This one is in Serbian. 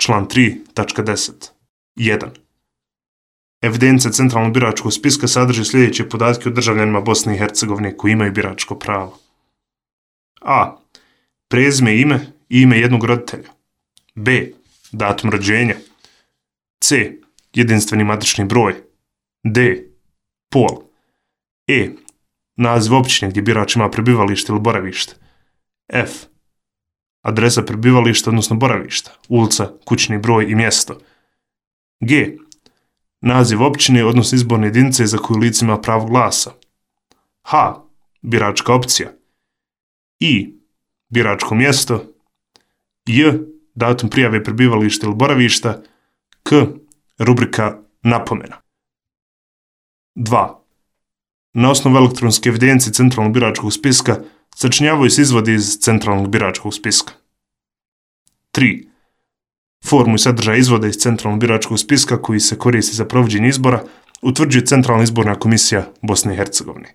Član 3.10. 1. Evidencija centralnog biračkog spiska sadrži sljedeće podatke o državljanima Bosne i Hercegovine koji imaju biračko pravo. A. Prezime i ime jednog roditelja. B. Datum rođenja. C. Jedinstveni matični broj. D. Pol. E. Naziv općine gdje birač ima prebivalište ili boravište. F. Adresa prebivališta odnosno boravišta, ulica, kućni broj i mjesto. G. Naziv općine odnosno izborne jedinice za koju lice ima pravo glasa. H. Biračka opcija. I. Biračko mjesto. J. Datum prijave prebivališta ili boravišta. K. Rubrika napomena. 2. Na osnovu elektronske evidencije centralnog biračkog spiska sačinjavaju se izvodi iz centralnog biračkog spiska. 3. Formu i sadržaj izvoda iz centralnog biračkog spiska koji se koristi za provođenje izbora utvrđuje Centralna izborna komisija Bosne i Hercegovine.